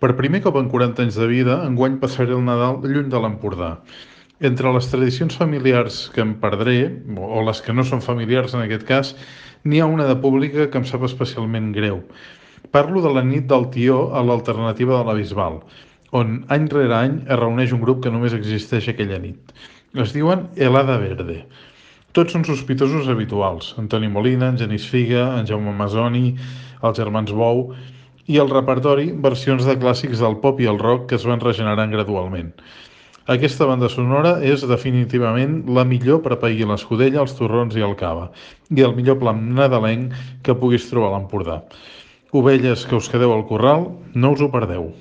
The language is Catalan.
Per primer cop en 40 anys de vida, enguany passaré el Nadal lluny de l'Empordà. Entre les tradicions familiars que em perdré, o les que no són familiars en aquest cas, n'hi ha una de pública que em sap especialment greu. Parlo de la nit del Tió a l'alternativa de la Bisbal, on any rere any es reuneix un grup que només existeix aquella nit. Es diuen Helada Verde. Tots són sospitosos habituals. Antoni Molina, en Genís Figa, en Jaume Masoni, els germans Bou i el repertori, versions de clàssics del pop i el rock que es van regenerant gradualment. Aquesta banda sonora és definitivament la millor per pair l'escudella, els torrons i el cava, i el millor plat nadalenc que puguis trobar a l'Empordà. Ovelles que us quedeu al corral, no us ho perdeu.